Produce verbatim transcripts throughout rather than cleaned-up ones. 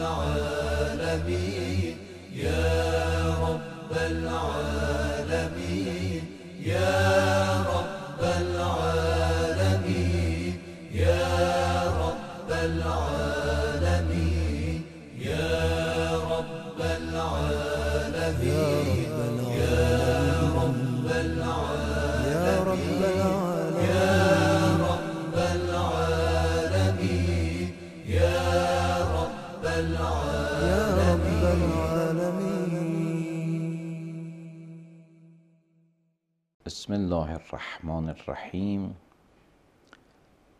العالمين يا رب العالمين يا رب العالمين يا رب العالمين يا رب العالمين يا رب العالمين يا رب العالمين يا رب العالمين. بسم الله الرحمن الرحیم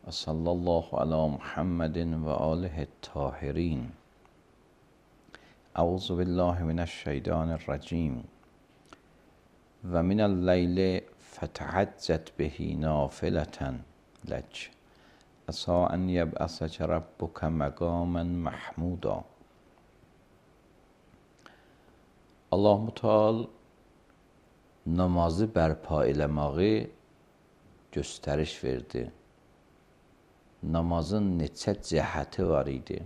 و صلی الله علی محمد و آله الطاهرین. اعوذ بالله من الشیطان الرجیم و من اللیل فتهجد به نافلة لک عسی ان یبعثک ربک مقاما محمودا. Allah-u Teala namazı bərpa eləməyi göstəriş verdi. Namazın neçə cəhəti var idi.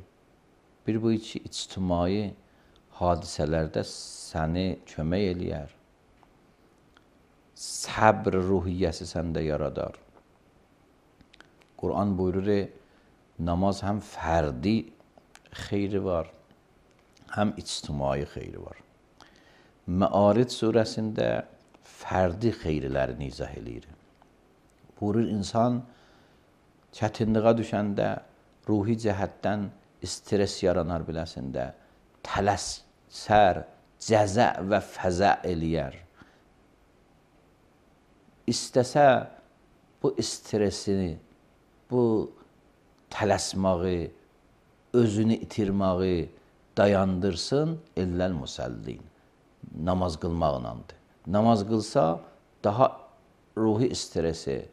Bir bu iki ictimai hadisələrdə səni kömək eləyər. Səbr ruhiyyəsi səndə yaradar. Quran buyurur, namaz həm fərdi xeyri var, həm ictimai xeyri var. Məaric surəsində fərdi xeyrilərini izah eləyir. Buyurur, insan çətinliyə düşəndə ruhi cəhətdən stres yaranar biləsində, tələsər, cəzə və fəzə eləyər. İstəsə bu stresini, bu tələsmağı, özünü itirməyi dayandırsın, illəl musəllin. Namaz qılmaqlandır. Namaz qılsa daha ruhi stresi,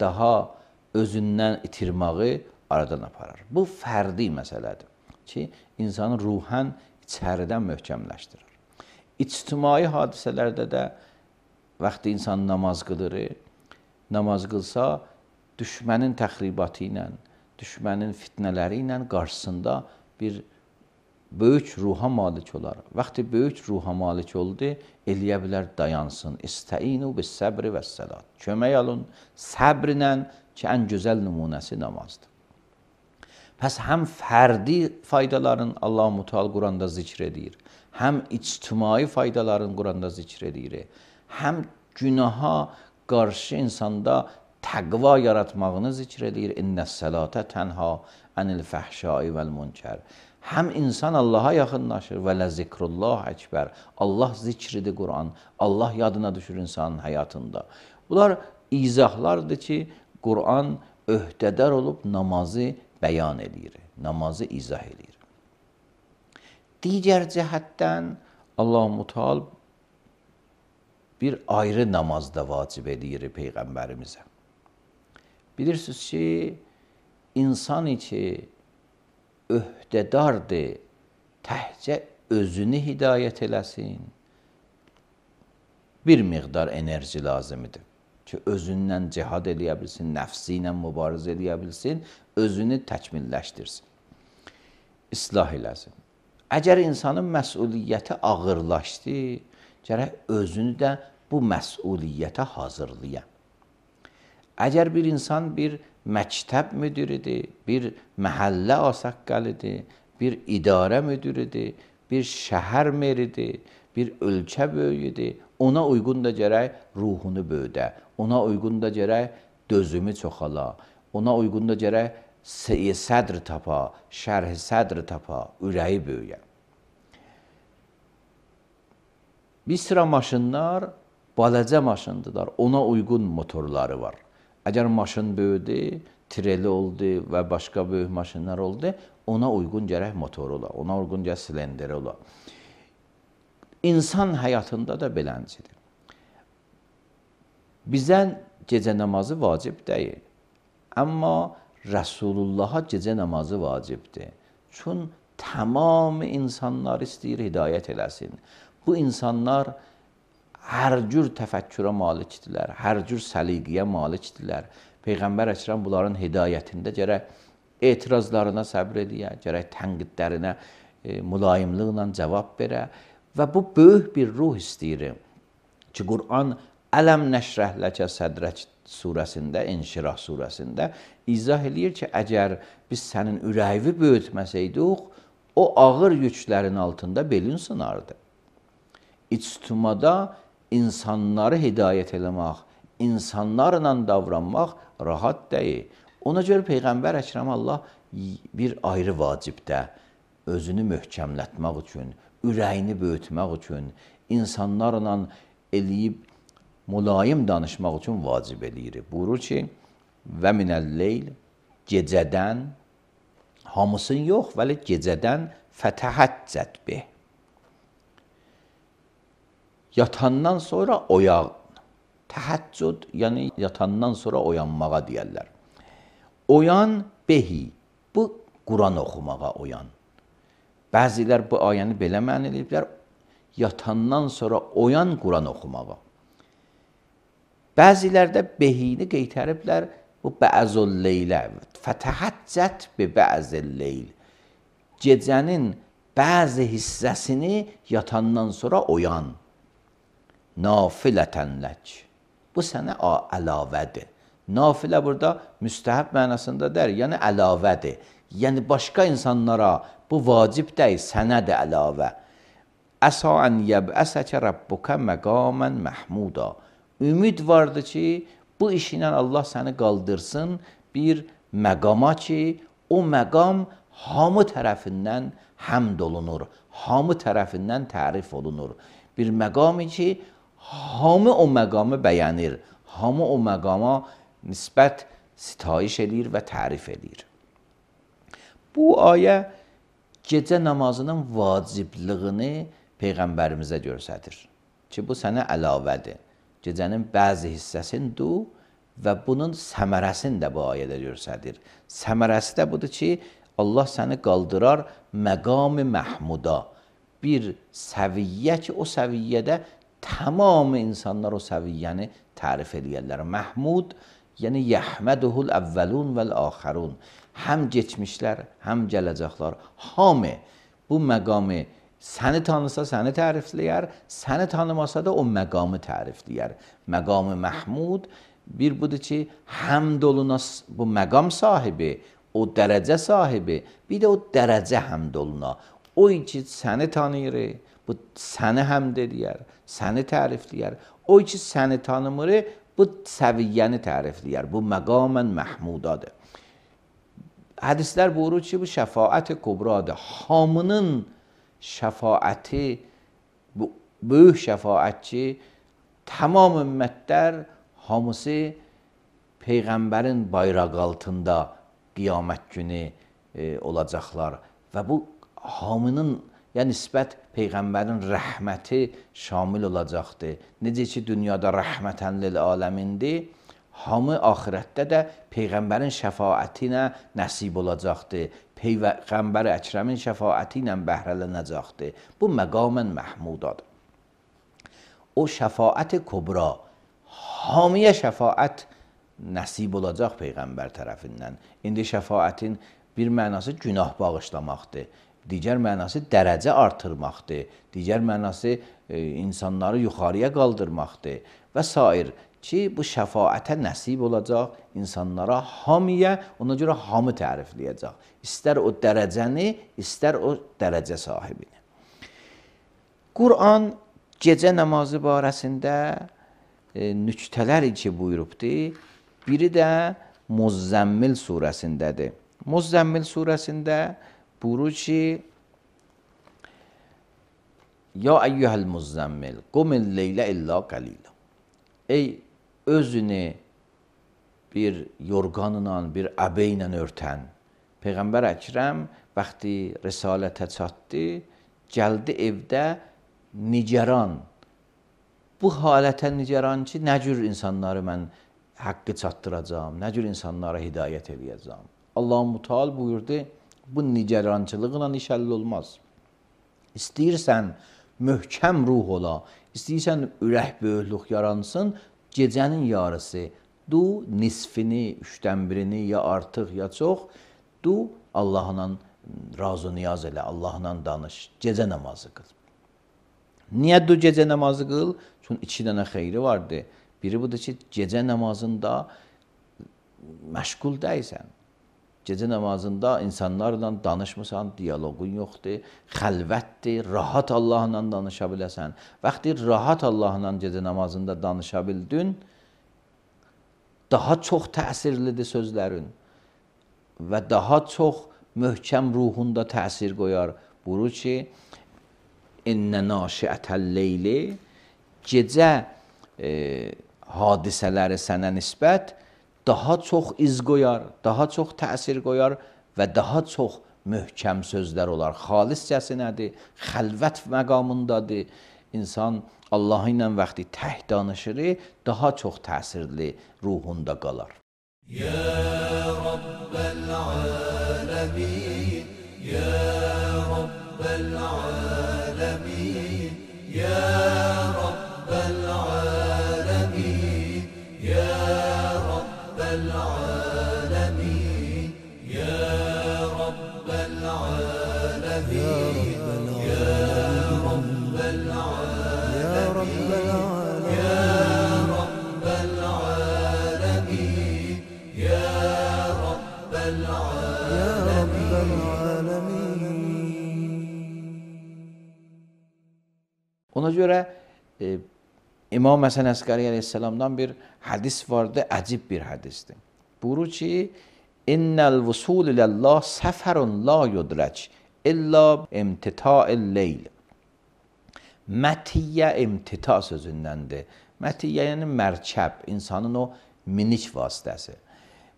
daha özündən itirməyi aradan aparar. Bu fərdi məsələdir ki, insanı ruhən içəridən möhkəmləşdirir. İctimai hadisələrdə də vaxtı insan namaz qılır, namaz qılsa düşmənin təxribatı ilə, düşmənin fitnələri ilə qarşısında bir böyük ruha malik olar. Vaxtı böyük ruha malik oldu, eləyə bilər dayansın. İstəinu bis səbri və səlat. Kömək alın səbrlə ki, ən gözəl nümunəsi namazdır. Pəs həm fərdi faydaların Allah-u Teala Quranda zikr edir, həm ictimai faydaların Quranda zikr edir, həm günaha qarşı insanda təqva yaratmağını zikr edir. İnnəs sələtə tənha ənil fəhşai vəl münkər. Həm insan Allaha yaxınlaşır və ləzikrullah əkbər. Allah zikridir Quran. Allah yadına düşür insanın həyatında. Bunlar izahlardır ki, Quran öhdədar olub namazı bəyan edir, namazı izah edir. Digər cəhətdən Allah-u Teala bir ayrı namazda vacib edir Peyğəmbərimizə. Bilirsiniz ki, insan içi öhdədardır, təhcə özünü hidayət eləsin. Bir miqdar enerji lazımdır ki, özündən cihad eləyə bilsin, nəfsi ilə mübarizə eləyə bilsin, özünü təkmilləşdirsin, islah eləsin. Əgər insanın məsuliyyəti ağırlaşdı, gərək özünü də bu məsuliyyətə hazırlayam. Əgər bir insan bir məktəb müdiridir, bir məhəllə asaqqalidir, bir idarə müdiridir, bir şəhər meridir, bir ölkə böyüyüdür, ona uyğun da gərək ruhunu böyüdə, ona uyğun da gərək dözümü çoxala, ona uyğun da gərək sədr tapa, şərh sədr tapa, ürəyi böyüyə. Bir sıra maşınlar balaca maşındılar, ona uyğun motorları var. Əgər maşın böyüdü, treli oldu və başqa böyük maşınlar oldu, ona uyğun gərək motoru ola, ona uyğun gərək silenderi ola. İnsan həyatında da beləncidir. Bizə gecə namazı vacib deyil, amma Rəsulullaha gecə namazı vacibdir. Çün tamam insanlar istəyir hidayət eləsin. Bu insanlar hər cür təfəkkürə malikdirlər, hər cür səliqiyə malikdirlər. Peyğəmbər Əkrəm bunların hidayətində gərək etirazlarına səbr ediyə, gərək tənqidlərinə e, mülayimliklə cavab verə və bu böyük bir ruh istəyir ki, Quran Ələm nəşrəh ləkə sədrək surəsində, İnşirah surəsində izah eləyir ki, əgər biz sənin ürəyini böyütməsəydik, o ağır yüklərin altında belin sınardı. İctimada insanları hidayət eləmək, insanlarla davranmaq rahat deyil. Ona görə Peyğəmbər Əkrəm Allah bir ayrı vacibdə özünü möhkəmlətmək üçün, ürəyini böyütmək üçün, insanlarla eləyib mülayim danışmaq üçün vacib eləyir. Buyurur ki, və minəl-leyl, gecədən, hamısın yox, vəli gecədən fətəhəccət bih. Yatandan sonra oyan. Təhəccüd, yəni yatandan sonra oyanmağa deyərlər. Oyan behi, bu Quran oxumağa oyan. Bəzilər bu ayəni belə məna ediblər, yatandan sonra oyan Quran oxumağa. Bəzilər də behini qeytəriblər, bu bə'zul leylə, fətəhəccət bi bə'zil leyl. Gecənin bəzi hissəsini yatandan sonra oyan. Nafilətən lək. Bu sənə əlavədir. Nafilə burada müstəhəb mənasında der, yəni əlavədir. Yəni başqa insanlara bu vacib deyil, sənə də əlavə. Əsa ən yəb'əsəkə rabbuka məqamən məhmuda. Ümid vardı ki, bu iş ilə Allah səni qaldırsın bir məqama ki, o məqam hamı tərəfindən həmd olunur, hamı tərəfindən tərif olunur. Bir məqami ki, hamı o məqamı bəyənir, hamı o məqama nisbət sitayiş edir və tərif edir. Bu ayə gecə namazının vaciblığını Peyğəmbərimizə göstərir ki, bu sənə əlavədir. Gecənin bəzi hissəsindir və bunun səmərəsini də bu ayədə göstərir. Səmərəsi də budur ki, Allah səni qaldırar məqam-ı məhmuda. Bir səviyyə ki, o səviyyədə tamamı insanlar o səviyyəni tərif edirlər. Məhmud, yəni yəhməduhul əvvəlun vəl-axərun. Həm keçmişlər, həm gələcəklər. Hamı bu məqamı səni tanısa səni tərifləyər, səni tanımasa da o məqamı tərifləyər. Məqam-ı Məhmud bir budur ki, həmd olunas bu məqam sahibi, o dərəcə sahibi, bir də o dərəcə həmd oluna. O ki, səni tanıyır, bu səni həmd edir, səni tərifləyər. O ki, səni tanımır, bu səviyyəni tərifləyər. Bu məqamən Məhmudadır. Hədislər buyurur ki, bu şəfaət kubradır. Hamının şəfaəti, bu böyük şəfaət ki, tamam ümmətlər hamısı Peyğəmbərin bayraq altında qiyamət günü e, olacaqlar və bu hamının yəni nisbət Peyğəmbərin rəhməti şamil olacaqdır. Necə ki, dünyada rəhmətən lil aləmindir, hamı axirətdə də Peyğəmbərin şəfaəti ilə nəsib olacaqdır. Peyğəmbər Əkrəmin şəfaəti ilə bəhrələnəcəkdir. Bu məqamən Məhmudadır. O şəfaət-i kubra, hamiyə şəfaət nəsib olacaq Peyğəmbər tərəfindən. İndi şəfaətin bir mənası günah bağışlamaqdır. Digər mənası dərəcə artırmaqdır. Digər mənası e, insanları yuxarıya qaldırmaqdır və s. ki, bu şəfaətə nəsib olacaq insanlara hamiyə, ona görə hamı tərifləyəcək. İstər o dərəcəni, istər o dərəcə sahibini. Quran gecə namazı barəsində e, nüktələr ki buyurubdur. Biri də Muzzəmmil surəsindədir. Muzzəmmil surəsində buyurur ki, Ya əyyuhəl muzzəmmil, qumil leylə illa qalilə. Ey özünü bir yorğanla, bir əbəylə örtən. Peyğəmbər Əkrəm vaxtı risalətə çatdı, gəldi evdə nigaran. Bu halətə nigaran ki, nə cür insanları mən haqqı çatdıracağım, nə cür insanlara hidayət edəcəm. Allah-u Müteal buyurdu, bu nigarançılıqla iş həll olmaz. İstəyirsən möhkəm ruh ola, istəyirsən ürək böyüklük yaransın, gecənin yarısı, du nisfini, üçdən birini, ya artıq, ya çox, du Allahla razı niyaz elə, Allahla danış, gecə namazı qıl. Niyə du gecə namazı qıl? Çünki iki dənə xeyri vardı. Biri budur ki, gecə namazında məşğul deyilsən. Gecə namazında insanlarla danışmısan, diyaloqun yoxdur, xəlvətdir, rahat Allahla danışa biləsən. Vaxtı rahat Allahla gecə namazında danışa bildin, daha çox təsirlidir sözlərin və daha çox möhkəm ruhunda təsir qoyar. Buyurur ki, İnnə naşiətəl leyli, gecə e, hadisələri sənə nisbət daha çox iz qoyar, daha çox təsir qoyar və daha çox möhkəm sözlər olar. Xaliscəsinədir, xəlvət məqamındadır. İnsan Allah ilə vaxtı tək danışır, daha çox təsirli ruhunda qalar. Ya Rabbel alemin, Ya Rabbel alemin, Ya Rabbel alemin, Ya Rabbel alemin, Ya Rabbel alemin, Ya Rabbel alemin, Ya Rabbel alemin, Ya Rabbel Ona görə e, İmam Həsən Əskəri əleyhissalamdan bir hədis vardı, əcib bir hədisdir. Buyurur ki, İnnəl vusul iləllah səfərun la yudrək illa imtita'il leyl. Mətiyyə imtita sözündəndir. Mətiyyə yəni mərkəb, insanın o minik vasitəsi.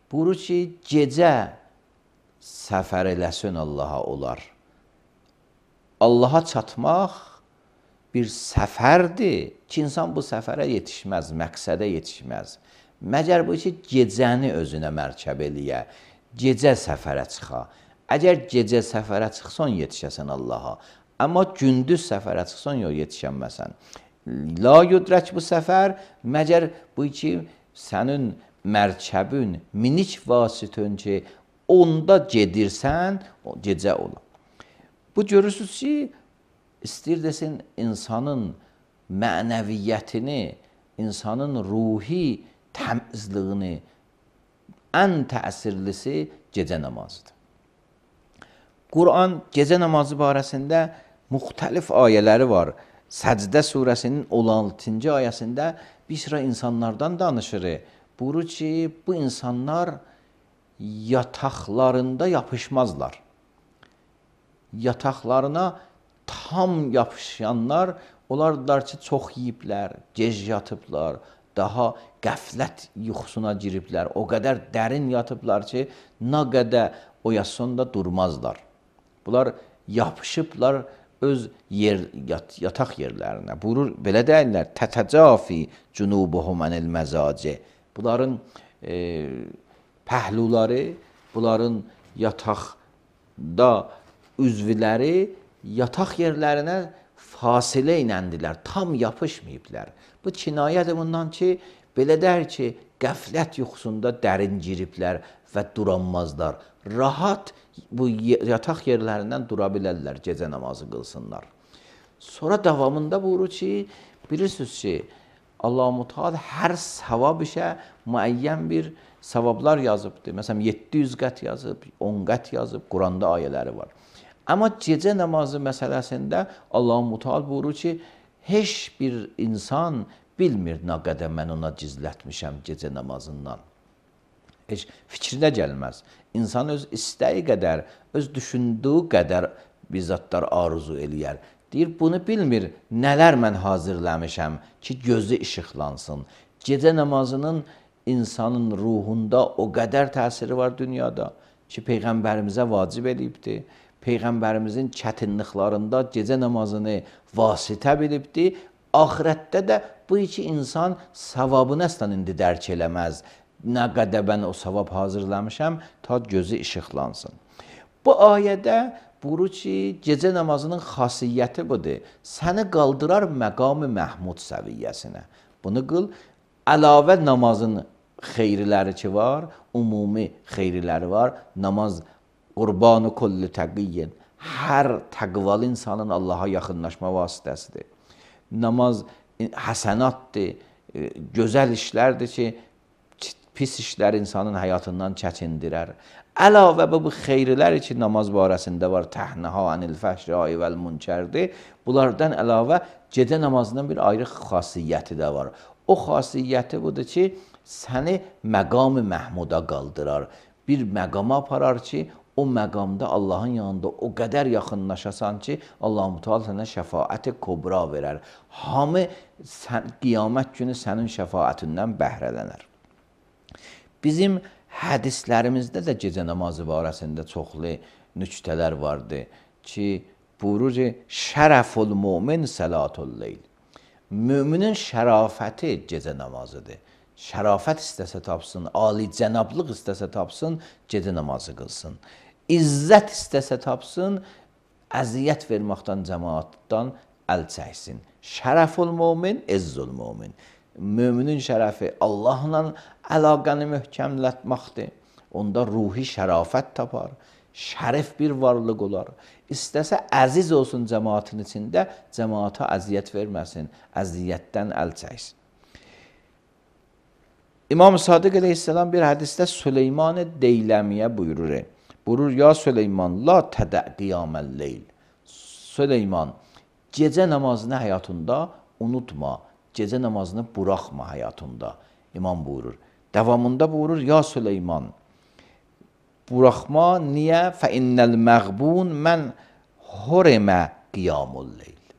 Buyurur ki, gecə səfər eləsin Allaha olar. Allaha çatmaq bir səfərdir ki, insan bu səfərə yetişməz, məqsədə yetişməz. Məgər bu ki, gecəni özünə mərkəb eləyə, gecə səfərə çıxa. Əgər gecə səfərə çıxsan, yetişəsən Allaha. Amma gündüz səfərə çıxsan, yox, yetişənməsən. La yudrək bu səfər, məgər bu ki, sənin mərkəbün, minik vasitən ki, onda gedirsən, o gecə ola. Bu görürsünüz ki, İstəyir desin, insanın mənəviyyətini, insanın ruhi təmizliyini ən təsirlisi gecə namazıdır. Quran gecə namazı barəsində müxtəlif ayələri var. Səcdə surəsinin on altıncı ayəsində bir sıra insanlardan danışır. Buyurur ki, bu insanlar yataqlarında yapışmazlar. Yataqlarına tam yapışanlar, onlardır ki, çox yiyiblər, gec yatıblar, daha qəflət yuxusuna giriblər, o qədər dərin yatıblar ki, nə qədər oyasında durmazlar. Bunlar yapışıblar öz yer, yat, yataq yerlərinə. Buyurur, belə deyirlər, tətəcafi cunubuhum anil məzaci. Bunların e, pəhluları, bunların yataqda üzvləri yataq yerlərinə fasilə inəndilər, tam yapışmayıblar. Bu kinayədir bundan ki, belə der ki, qəflət yuxusunda dərin giriblər və duranmazlar. Rahat bu yataq yerlərindən dura bilərlər, gecə namazı qılsınlar. Sonra davamında buyurur ki, bilirsiniz ki, Allah-u Teala hər savab işə müəyyən bir savablar yazıbdır. Məsələn, yeddi yüz qət yazıb, on qət yazıb, Quranda ayələri var. Amma gecə namazı məsələsində Allah-u Teala buyurur ki, heç bir insan bilmir nə qədər mən ona gizlətmişəm gecə namazından. Heç fikrinə gəlməz. İnsan öz istəyi qədər, öz düşündüyü qədər bizzatlar arzu eləyər. Deyir, bunu bilmir, nələr mən hazırlamışam ki, gözü işıqlansın. Gecə namazının insanın ruhunda o qədər təsiri var dünyada ki, Peyğəmbərimizə vacib eləyibdir. Peyğəmbərimizin çətinliklərində gecə namazını vasitə bilibdir. Axirətdə də bu iki insan savabını əslən indi dərk eləməz. Nə qədər mən o savab hazırlamışam, ta gözü işıqlansın. Bu ayədə buyurur ki, gecə namazının xasiyyəti budur. Səni qaldırar məqam-ı Məhmud səviyyəsinə. Bunu qıl, əlavə namazın xeyriləri ki var, ümumi xeyriləri var. Namaz Qurbanı kulli təqiyyin. Hər təqvalı insanın Allaha yaxınlaşma vasitəsidir. Namaz həsənatdır, gözəl işlərdir ki, pis işlər insanın həyatından çəkindirər. Əlavə bu, bu xeyrilər ki, namaz barəsində var, təhnəha anil fəhşai vəl münkərdir. Bunlardan əlavə gecə namazının bir ayrı xasiyyəti də var. O xasiyyəti budur ki, səni məqam-ı məhmuda qaldırar. Bir məqama aparar ki, o məqamda Allahın yanında o qədər yaxınlaşasan ki, Allah-u Teala sənə şəfaət-i kubra verər. Hamı sən, qiyamət günü sənin şəfaətindən bəhrələnər. Bizim hədislərimizdə də gecə namazı barəsində çoxlu nüktələr vardır ki, buyurur ki, şərəful mümin salatul leyl. Müminin şərafəti gecə namazıdır. Şərafət istəsə tapsın, ali cənablıq istəsə tapsın, gecə namazı qılsın. İzzət istəsə tapsın, əziyyət verməkdən, cəmaatdan əl çəksin. Şərəful mümin, izzul mümin. Müminin şərəfi Allahla əlaqəni möhkəmlətməkdir. Onda ruhi şərafət tapar, şərif bir varlıq olar. İstəsə əziz olsun cəmaatın içində, cəmaata əziyyət verməsin, əziyyətdən əl çəksin. İmam Sadiq əleyhissalam bir hədisdə Süleyman-ı Deyləmiyə buyurur. Buyurur, ya Süleyman, la tədə qiyaməl leyl. Süleyman, gecə namazını həyatında unutma, gecə namazını buraxma həyatında. İmam buyurur. Davamında buyurur, ya Süleyman, buraxma, niyə? Fə innəl məğbun mən hurmə qiyamul leyl.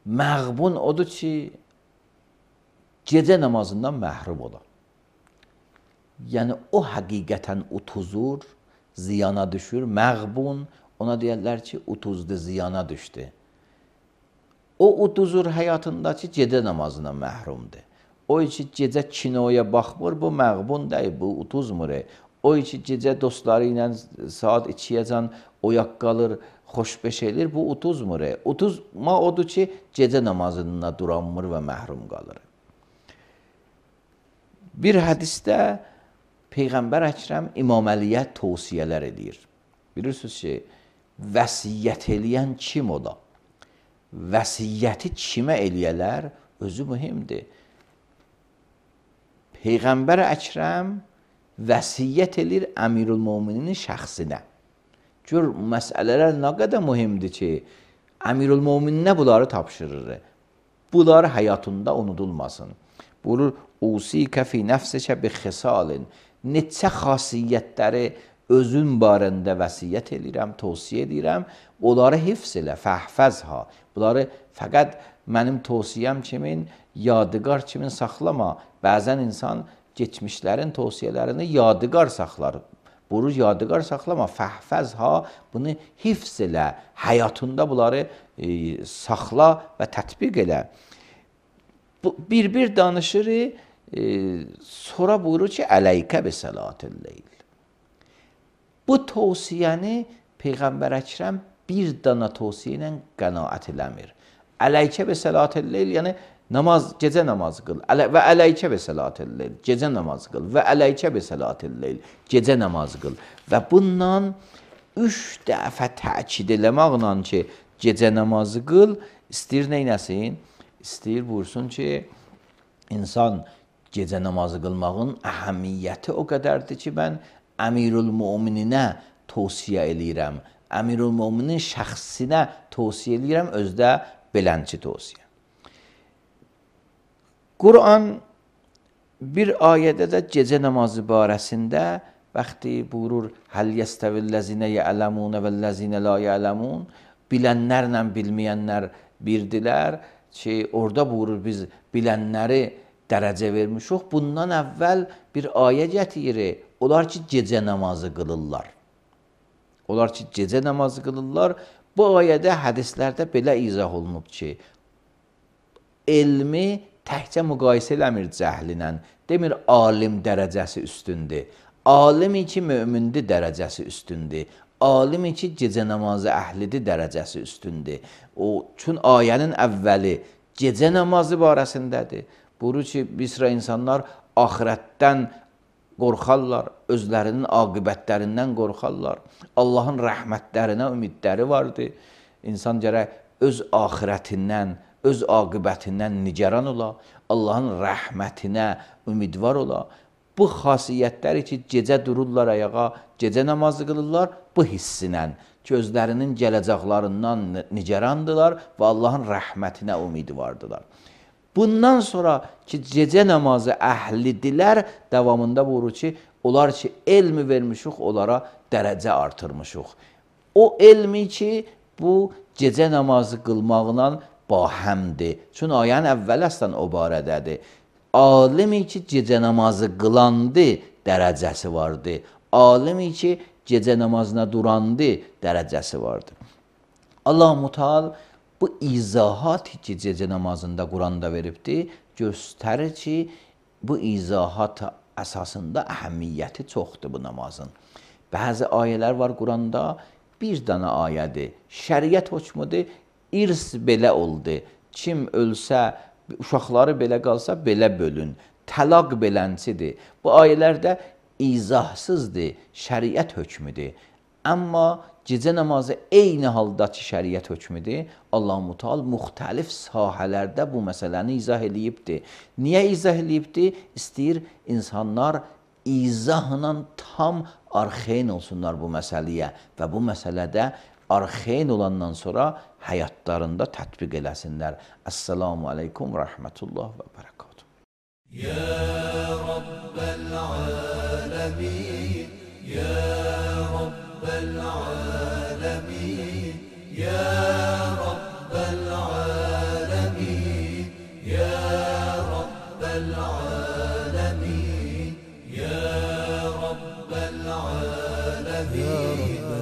Məğbun odur ki, gecə namazından məhrum ola. Yəni, o həqiqətən utuzur, ziyana düşür. Məğbun, ona deyərlər ki, utuzdu, ziyana düşdü. O utuzur həyatındakı gecə namazından məhrumdur. O ki, gecə kinoya baxmır, bu məğbun deyil, bu utuzmur. O ki, gecə dostları ilə saat ikiyəcən oyaq qalır, xoşbeş edir, bu utuzmur. Utuzma odur ki, gecə namazında duranmır və məhrum qalır. Bir hədisdə Peyğəmbər Əkrəm İmam Əliyə tövsiyələr edir. Bilirsiniz ki, vəsiyyət eləyən kim ola? Vəsiyyəti kimə eləyələr? Özü mühimdir. Peyğəmbər Əkrəm vəsiyyət edir Əmirül-Möminin şəxsinə. Gör, məsələlər nə qədər mühimdir ki, Əmirül-Mömininə bunları tapşırır. Bunları həyatında unudulmasın. Buyurur, usikə fi nəfsikə bi xisalin. Neçə xasiyyətləri özün barəndə vəsiyyət edirəm, tövsiyə edirəm. Onları hifz elə, fəhfəzha. Bunları fəqət mənim tövsiyəm kimin, yadigar kimin saxlama. Bəzən insan geçmişlərin tövsiyələrini yadigar saxlar. Buyurur, yadigar saxlama, fəhfəzha, bunu hifz elə, həyatında bunları e, saxla və tətbiq elə. Bir-bir danışır, e, sonra buyurur ki, əleykə bi salatil leyl. Bu tövsiyəni Peyğəmbər Əkrəm bir dana tövsiyə ilə qənaət eləmir. Əleykə bi salatil leyl, yəni namaz, gecə namaz qıl və əleykə bi salatil leyl, gecə namaz qıl və əleykə bi salatil leyl, gecə namaz qıl. Və bundan üç dəfə təkid eləməklə ki, gecə namazı qıl, istəyir neynəsin? İstəyir buyursun ki, insan gecə namazı qılmağın əhəmiyyəti o qədərdir ki, mən Əmirül-Mömininə tövsiyə eləyirəm, Əmirül-Möminin şəxsinə tövsiyə eləyirəm, özdə belənçi tövsiyə. Quran bir ayədə də gecə namazı barəsində vaxtı buyurur, həl yəstəvilləzinə yələmunə vəlləzinə la yələmun, bilənlərlə bilməyənlər birdilər ki, orada buyurur, biz bilənləri dərəcə vermişik. Bundan əvvəl bir ayə gətirir, onlar ki, gecə namazı qılırlar. Onlar ki, gecə namazı qılırlar. Bu ayədə, hədislərdə belə izah olunub ki, elmi təkcə müqayisə eləmir cəhlinə, demir alim dərəcəsi üstündür. Alimi ki, mömindir dərəcəsi üstündür. Alimi ki, gecə namazı əhlidir dərəcəsi üstündür. O, çün ayənin əvvəli gecə namazı barəsindədir. Buyurur ki, bir sıra insanlar axirətdən qorxarlar, özlərinin aqibətlərindən qorxarlar. Allahın rəhmətlərinə ümidləri vardı. İnsan gərək öz axirətindən, öz aqibətindən nigaran ola, Allahın rəhmətinə ümidvar ola. Bu xasiyyətləri ki, gecə dururlar ayağa, gecə namazı qılırlar, bu hissinə, gözlərinin gələcəklərindən nigarandılar və Allahın rəhmətinə ümidi vardılar. Bundan sonra ki, gecə namazı əhlidirlər, davamında buyurur ki, onlar ki, elmi vermişik, onlara dərəcə artırmışıq. O elmi ki, bu gecə namazı qılmaqla bahəmdir. Çünki ayənin əvvəl əslən o barədədir. Alimi ki, gecə namazı qılandı, dərəcəsi vardı. Alimi ki, gecə namazına durandı, dərəcəsi vardı. Allah-u Teala bu izahat ki, gecə namazında Quranda veribdir, göstərir ki, bu izahat əsasında əhəmiyyəti çoxdur bu namazın. Bəzi ayələr var Quranda, bir dənə ayədir. Şəriət hökmüdür, irs belə oldu. Kim ölsə, uşaqları belə qalsa, belə bölün. Təlaq belənçidir. Bu ayələrdə izahsızdır, şəriət hökmüdür. Amma gecə namazı eyni haldakı şəriət hökmüdür. Allah-u Teala müxtəlif sahələrdə bu məsələni izah eləyibdir. Niyə izah eləyibdir? İstəyir insanlar izahla tam arxeyn olsunlar bu məsələyə və bu məsələdə arxeyn olandan sonra həyatlarında tətbiq eləsinlər. Əssalamu aleykum və rəhmətullah və bərəkatuhu. Ya Rabbel alemin, Ya Rabbel alemin, Ya Rabbel alemin, Ya Rabbel alemin, Ya Rabbel alemin.